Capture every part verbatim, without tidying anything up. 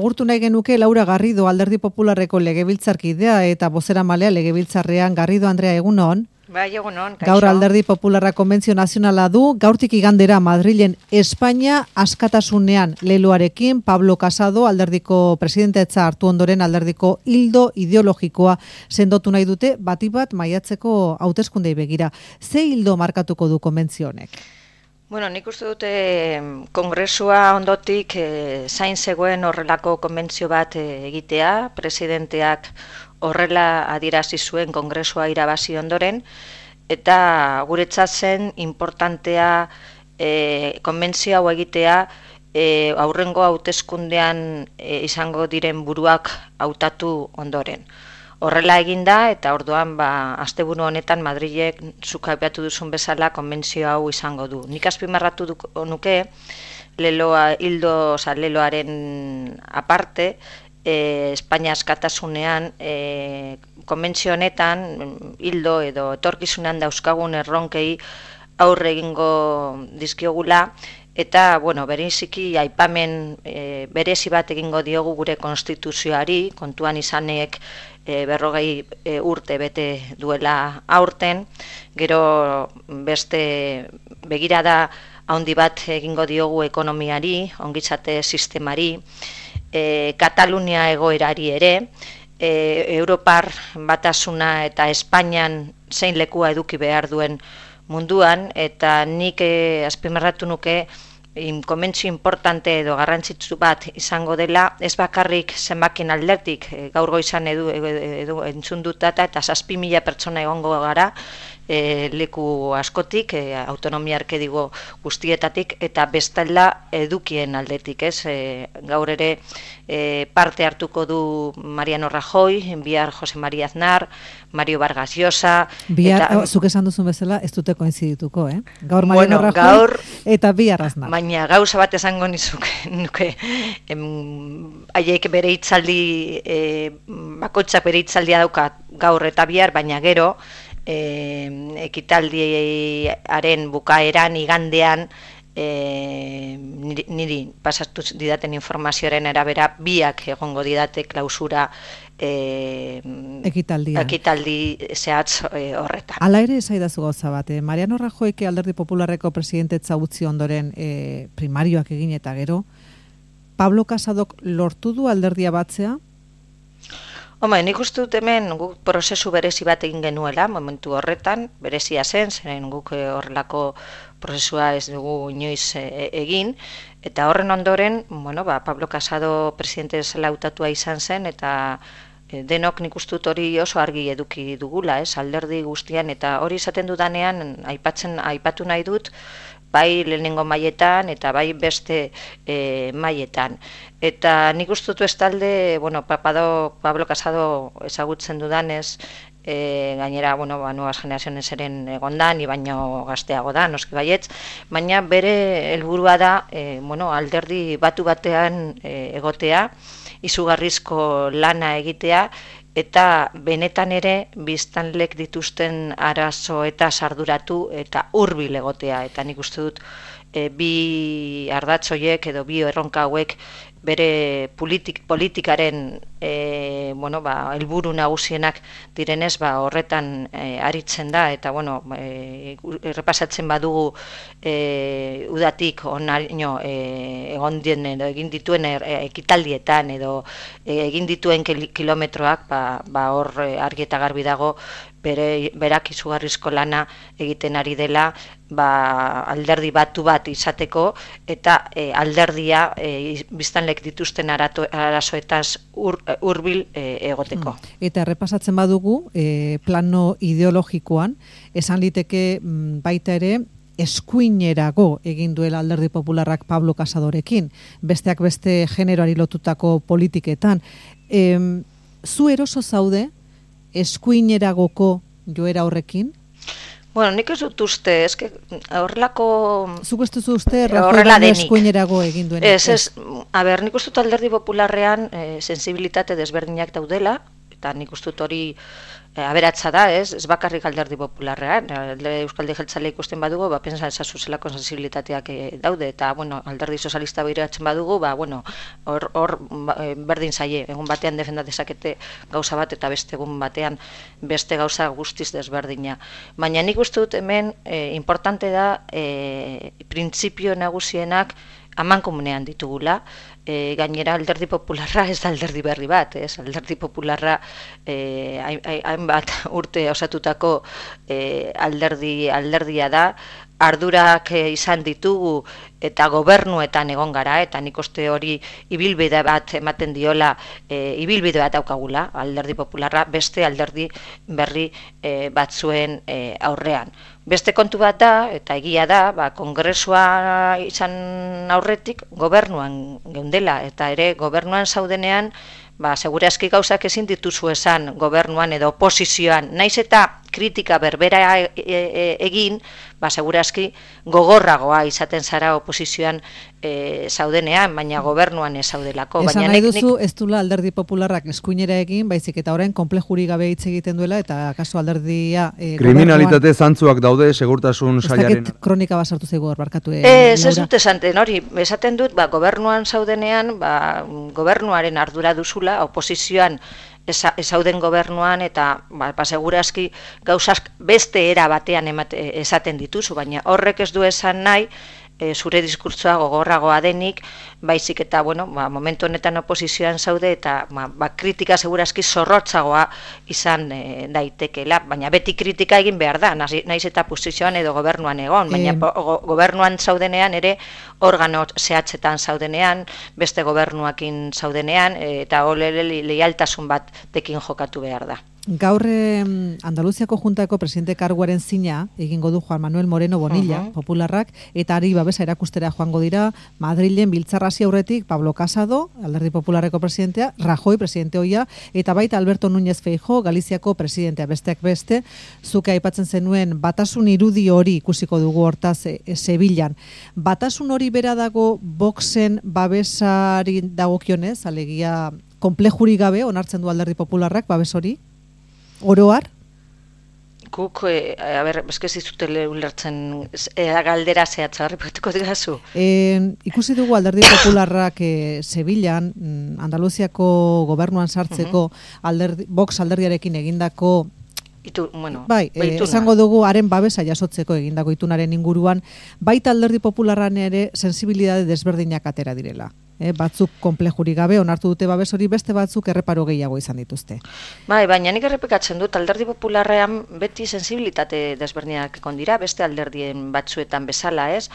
Agurtu nahi genuke Laura Garrido, Alderdi Popularreko legebiltzarkidea eta bozeramalea legebiltzarrean. Garrido Andrea, egunon. Bai, egunon, kaixo. Gaur Alderdi Popularra konbentzio nazionala du, gaurtik igandera Madrilen Espainia askatasunean leloarekin. Pablo Casado, Alderdiko presidentetza hartu ondoren alderdiko ildo ideologikoa sendotu nahi dute, bati bat maiatzeko hauteskundei begira. Ze ildo markatuko du konbentzio honek? Bueno, nik uste dute kongresua ondotik e, zain zegoen horrelako konbentzio bat e, egitea, presidenteak horrela adierazi zuen kongresua irabazi ondoren, eta guretzat zen importantea e, konbentzio hau egitea e, aurrengo hauteskundean e, izango diren buruak hautatu ondoren. Horrela eginda eta orduan ba asteburu honetan Madrilek zuk aipatu duzun bezala konbentzio hau izango du. Nik azpimarratu nuke leloa hildo, oza, leloaren aparte, e, Espainia askatasunean e, konbentzio honetan hildo edo etorkizunean dauzkagun erronkei aurre egingo dizkiogula. Eta, bueno, bereziki aipamen e, berezi bat egingo diogu gure konstituzioari, kontuan izanek e, berrogei e, urte bete duela aurten, gero beste begirada handi bat egingo diogu ekonomiari, ongizate sistemari, e, Katalunia egoerari ere, e, Europar batasuna eta Espainian zein lekua eduki behar duen munduan, eta nik e, azpimarratu nuke konbentzio importante edo garrantzitsu bat izango dela, ez bakarrik zenbakin alderdik, e, gaur goizan edu, edu, edu entzun dutata eta zazpi mila pertsona egongo gara e, leku askotik, e, autonomia erkidego guztietatik, eta bestalda edukien aldetik, ez? E, gaur ere e, parte hartuko du Mariano Rajoy, bihar Jose María Aznar, Mario Vargas Llosa. Bihar, eta, zuk esan duzun bezala, ez dute koinzidituko, eh? Gaur Mariano bueno, Rajoy gaur, eta bihar Aznar. Baina gauza bat esango nizuke, nuke, em, haiek bere hitzaldi, e, bakoitzak bere hitzaldia dauka gaur eta bihar, baina gero, e, ekitaldiaren bukaeran, igandean, e, niri, niri pasatu didaten informazioaren arabera, biak egongo didate klausura e, ekitaldian. ekitaldi zehatz e, horretan. Hala ere esaidazu gauza bat, eh? Mariano Rajoyke Alderdi Popularreko presidentetza utzi ondoren e, primarioak egin eta gero, Pablo Casadok lortu du alderdia batzea? Home, nik uste dut hemen guk prozesu berezi bat egin genuela, momentu horretan, berezia zen, zeren guk horrelako prozesua ez dugu inoiz e, egin, eta horren ondoren, bueno, ba, Pablo Casado presidente bezala hautatua izan zen, eta e, denok nik uste dut hori oso argi eduki dugula, ez, alderdi guztian, eta hori izaten dudanean, aipatzen, aipatu nahi dut, bai lehenengo mailetan eta bai beste e, mailetan. Eta nik uste dut ez talde, bueno, Papado, Pablo Casado ezagutzen dudanez, e, gainera, bueno, ba, nuevas generaciones eren egonda, ni baino gazteago da, noski baietz, baina bere helburua da, e, bueno, alderdi batu batean e, egotea, izugarrizko lana egitea, eta benetan ere biztanlek dituzten arazo eta sarduratu eta hurbil egotea, eta nik uste dut e, bi ardatz horiek edo bi erronka hauek bere politik, politikaren e, bueno, ba, helburu nagusienak direnez, ba, horretan e, aritzen da, eta bueno, e, errepasatzen badugu e, udatik onaino e, egon dien edo egin dituen er, e, ekitaldietan edo e, egin dituen kilometroak, ba, ba hor e, argi eta garbi dago bere, berak izugarrizko lana egiten ari dela, ba, alderdi batu bat izateko, eta e, alderdia e, biztanlek dituzten arato, arazoetaz ur, urbil e, egoteko. Eta errepasatzen badugu, e, plano ideologikoan, esan liteke baita ere, eskuinerago egin duela Alderdi Popularrak Pablo Casadorekin, besteak beste generoari lotutako politiketan. E, zu eroso zaude, eskuineragoko joera horrekin? Bueno, nik ez dut uste, eske horrelako... Zuk ez duzu uste, Rajoy eskuinerago egin duenik? Ez, ez, a ber, nik uste dut Alderdi Popularrean e, sensibilitate desberdinak daudela, eta nik uste dut hori e, aberatsa da, ez, ez bakarrik alderdi popularrean, Euskaldi Jeltzale ikusten badugu, ba, pensa ezazu zelako sensibilitateak e, daude, eta, bueno, alderdi sozialista behiratzen badugu, ba, bueno, hor, hor berdin zaie, egun batean defenda dezakete gauza bat, eta beste egun batean beste gauza guztiz desberdina. Baina nik uste dut hemen e, importante da e, printzipio nagusienak amankomunean ditugula, e, gainera alderdi popularra ez da alderdi berri bat, ez? Alderdi popularra e, hainbat urte osatutako e, alderdi alderdia da, ardurak e, izan ditugu eta gobernuetan egon gara, eta nik uste hori ibilbide bat ematen diola, e, ibilbide bat daukagula, alderdi popularra beste alderdi berri e, batzuen e, aurrean. Beste kontu bat da, eta egia da, ba, kongresua izan aurretik gobernuan geundela, eta ere gobernuan zaudenean, ba, segurazki gauzak ezin dituzu esan gobernuan edo oposizioan, naiz eta kritika berbera e, e, egin, ba, segurazki gogorragoa izaten zara oposizioan e, zaudenean, baina gobernuan ez zaudelako. Esan nahi duzu, ez dula alderdi popularrak eskuinera egin, baizik eta orain konplejuri gabe hitz egiten duela, eta kasu alderdia... E, kriminalitate zantzuak daude, segurtasun sailaren... Ez dakit kronika basartu zaigu barkatu. E, ez ez dut esanten, hori, esaten dut, ba, gobernuan zaudenean, ba, gobernuaren ardura duzula, oposizioan ezauden gobernuan, eta ba, ba, segurazki gauzak beste era batean emate, esaten dituzu, baina horrek ez du esan nahi e, zure diskurtsoa gogorragoa denik, baizik eta, bueno, ba, momentu honetan oposizioan zaude, eta ba, ba, kritika segurazki zorrotzagoa izan e, daitekela, baina beti kritika egin behar da, naiz eta posizioan edo gobernuan egon, baina e... go, gobernuan zaudenean ere organo zehatzetan zaudenean, beste gobernuakin zaudenean, e, eta olele leialtasun bat tekin jokatu behar da. Gaur Andaluziako Juntako presidente karguaren zina egingo du Juan Manuel Moreno Bonilla, uh-huh. popularrak, eta ari babesa erakustera joango dira Madrilen biltzarrasi aurretik Pablo Casado, alderdi popularreko presidentea, Rajoy presidente hoia, eta baita Alberto Núñez Feijóo, Galiziako presidentea, besteak beste, zuke aipatzen zenuen batasun irudi hori ikusiko dugu hortaz e, e, Sevillan. Batasun hori bera dago Voxen babesari dagokionez, alegia konplejuri gabe onartzen du alderdi popularrak babes hori? Oroar? Guk, e, a ber, eskez izute ulertzen e, galdera zehatza, repetiko digazu? E, ikusi dugu alderdi popularrak e, Sevillan, Andaluziako gobernuan sartzeko uh-huh. alderdi, Vox alderdiarekin egindako Itu, bueno, bai, e, esango dugu haren babesa jasotzeko egindako itunaren inguruan, baita alderdi popularran ere sensibilitate desberdinak atera direla. E, batzuk konplejuri gabe onartu dute babes hori, beste batzuk erreparo gehiago izan dituzte. Bai, baina nik errepikatzen dut alderdi popularrean beti sensibilitate desberdinak ekon dira, beste alderdien batzuetan bezala, ez?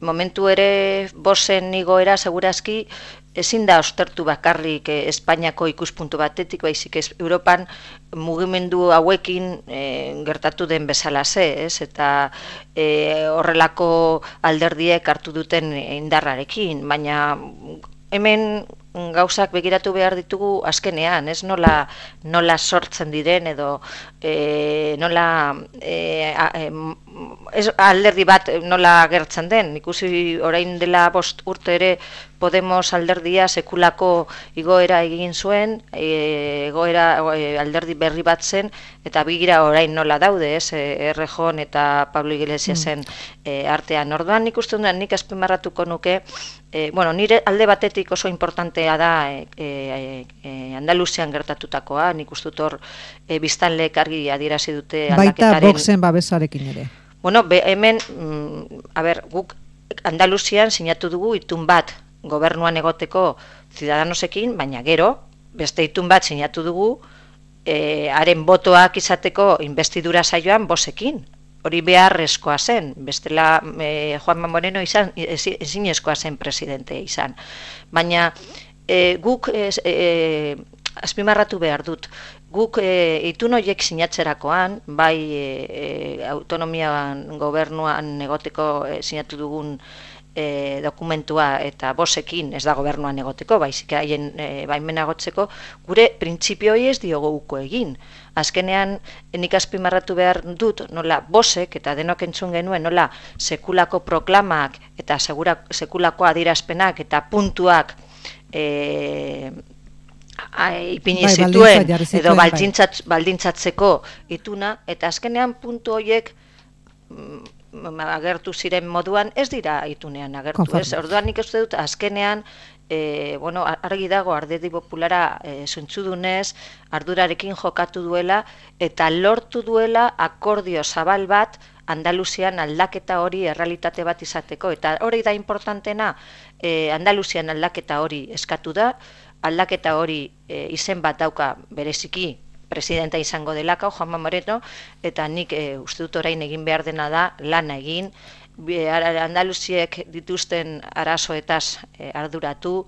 Momentu ere Voxen igoera segurazki ezin da ostertu bakarrik eh, Espainiako ikuspuntu batetik, baizik ez Europan mugimendu hauekin eh, gertatu den bezalaze, ez? Eta eh, horrelako alderdiek hartu duten indarrarekin, baina hemen gauzak begiratu behar ditugu azkenean, ez nola, nola sortzen diren edo e, nola e, a, e, ez, alderdi bat nola gertzen den. Ikusi orain dela bost urte ere Podemos alderdia sekulako igoera egin zuen, e, egoera e, alderdi berri bat zen, eta bigira orain nola daude, ez, Errejón eta Pablo Iglesiasen mm. e, artean. Orduan nik uste dut, nik azpimarratuko nuke, e, bueno, nire alde batetik oso importantea da e, e, e, Andaluzian gertatutakoa, nik uste dut hor e, biztanleek argi adierazi dute aldaketaren... Baita Voxen babesarekin ere. Bueno, be, hemen, mm, a ber, guk Andaluzian sinatu dugu itun bat, gobernuan egoteko Ciudadanosekin, baina gero, beste itun bat sinatu dugu, e, haren botoak izateko investidura saioan Voxekin. Hori beharrezkoa zen, bestela e, Juanma Moreno izan, ezinezkoa zen presidente izan. Baina e, guk e, e, azpimarratu behar dut, guk e, itun horiek sinatzerakoan, bai e, e, autonomian gobernuan egoteko e, sinatu dugun E, dokumentua eta Voxekin, ez da gobernuan egoteko, baizik haien e, baimena gotzeko, gure printzipioi ez diogo uko egin. Azkenean, nik azpimarratu behar dut, nola Voxek, eta denok entzun genuen, nola sekulako proklamak eta segura, sekulako adierazpenak eta puntuak e, ipini bai, zituen, baldintza zituen, edo bai. baldintzat, baldintzatzeko ituna, eta azkenean puntu horiek agertu ziren moduan, ez dira itunean agertu, Konforme. ez? Orduan nik uste dut, azkenean, e, bueno, argi dago Alderdi Populara e, zuntzudunez, ardurarekin jokatu duela, eta lortu duela akordio zabal bat Andaluzian aldaketa hori errealitate bat izateko, eta hori da importantena, e, Andaluzian aldaketa hori eskatu da, aldaketa hori e, izen bat dauka bereziki presidenta izango delako, Juanma Moreno, eta nik e, uste dut orain egin behar dena da, lana egin, Be- Ara- Andaluziek dituzten arazoetaz e, arduratu,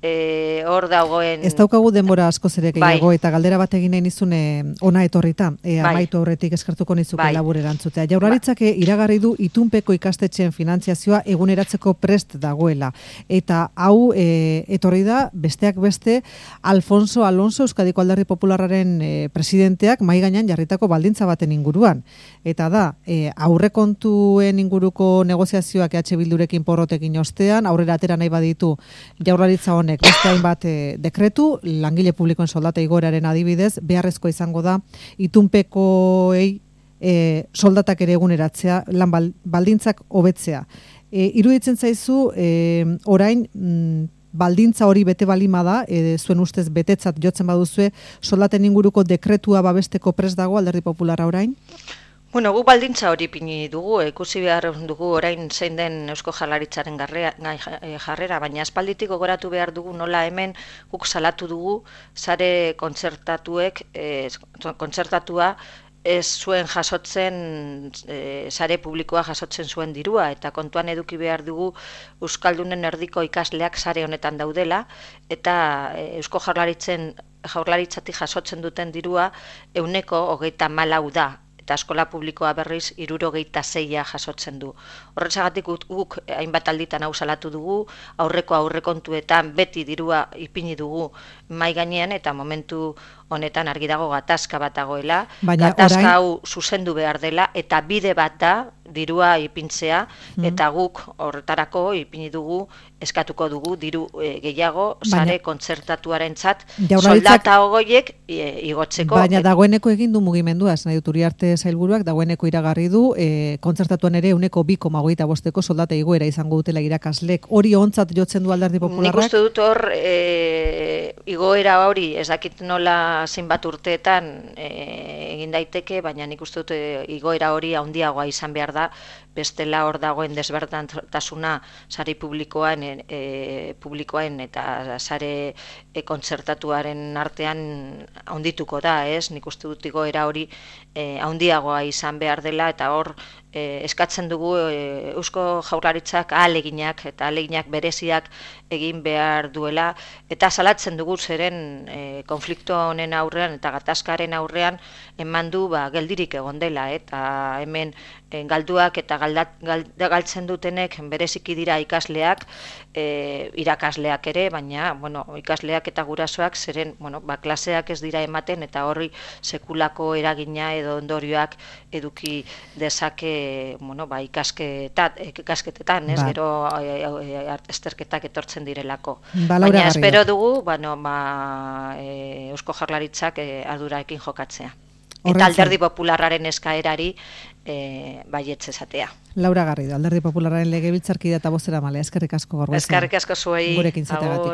e, hor dagoen... Ez daukagu denbora askoz ere gehiago, Bai. eta galdera bat egin nahi nizun e, ona etorrita, e, Bai. amaitu aurretik eskertuko nizuke Bai. labur erantzutea. Jaurlaritzak e, iragarri du itunpeko ikastetxeen finantziazioa eguneratzeko prest dagoela. Eta hau e, etorri da, besteak beste, Alfonso Alonso, Euskadiko Alderdi Popularraren e, presidenteak mai gainean jarritako baldintza baten inguruan. Eta da, e, aurrekontuen inguruko negoziazioak E H Bildurekin porrotekin ostean, aurrera atera nahi baditu Jaurlaritza honek beste hainbat e, dekretu, langile publikoen soldata igoeraren adibidez, beharrezko izango da itunpekoei e, soldatak ere eguneratzea, lan bal- baldintzak hobetzea. E, iruditzen zaizu, e, orain, mm, baldintza hori bete balima da, e, zuen ustez betetzat jotzen baduzue, soldaten inguruko dekretua babesteko prest dago Alderdi Popularra orain? Bueno, gu baldintza hori ipini dugu, ikusi behar dugu orain zein den Eusko Jaurlaritzaren garrea- gai- eh, jarrera, baina aspalditik gogoratu behar dugu nola hemen guk salatu dugu sare kontzertatuek, eh, kontzertatua ez zuen jasotzen, e, sare publikoa jasotzen zuen dirua, eta kontuan eduki behar dugu Euskaldunen erdiko ikasleak sare honetan daudela, eta e, Eusko Jaurlaritzen Jaurlaritzatik jasotzen duten dirua ehuneko hogeita hamalau da, eta eskola publikoa berriz hirurogeita seia jasotzen du. Horretzagatik guk, guk hainbat alditan hau salatu dugu, aurreko aurrekontuetan beti dirua ipini dugu mai gainean, eta momentu honetan argi dago gatazka bat dagoela, Baina gatazka orain- hau zuzendu behar dela, eta bide bat da dirua ipintzea, Mm. eta guk horretarako ipini dugu, eskatuko dugu diru e, gehiago Baina- sare kontzertatuarentzat Jaurlaritzak- soldata ogoiek e, igotzeko. Baina dagoeneko egin du mugimendua, ez nahi dut Uriarte sailburuak dagoeneko iragarri du, e, kontzertatuan ere ehuneko bi koma hogeita bosteko soldata igoera izango dutela irakaslek. Hori ontzat jotzen du Alderdi Nik Popularrak? uste dut hor e, igoera hori ez dakit nola zenbat urteetan e, egin daiteke, baina nik uste dut e, igoera hori handiagoa izan behar da, bestela hor dagoen desberdintasuna sare publikoan e, publikoen eta sare e, kontzertatuaren artean handituko da, ez? Nik uste dut igoera hori e, handiagoa izan behar dela, eta hor e, eskatzen dugu e, Eusko Jaurlaritzak ahaleginak eta ahaleginak bereziak egin behar duela, eta salatzen dugu zeren e, konflikto honen aurrean eta gatazkaren aurrean eman du ba, geldirik egon dela, eta hemen e, galduak eta galdat, gal, galtzen dutenek bereziki dira ikasleak, e, irakasleak ere, baina bueno, ikasleak eta gurasoak zeren bueno, ba, klaseak ez dira ematen, eta horri sekulako eragina edo ondorioak eduki dezake bueno, ba, ikasketat, ikasketetan, ez, Ba. gero e, e, esterketak etortzen direlako. Ba, Laura Baina Garrido. espero dugu bueno, ba, e, Eusko Jaurlaritzak e, arduraekin jokatzea. Horren Eta zain. Alderdi Popularraren eskaerari e, baietz esatea. Laura Garrido, Alderdi Popularraren legebiltzarkidea eta bozeramalea, eskerrik asko gaur goizean. Eskerrik asko zuei. Gurekin izateagatik. Agur.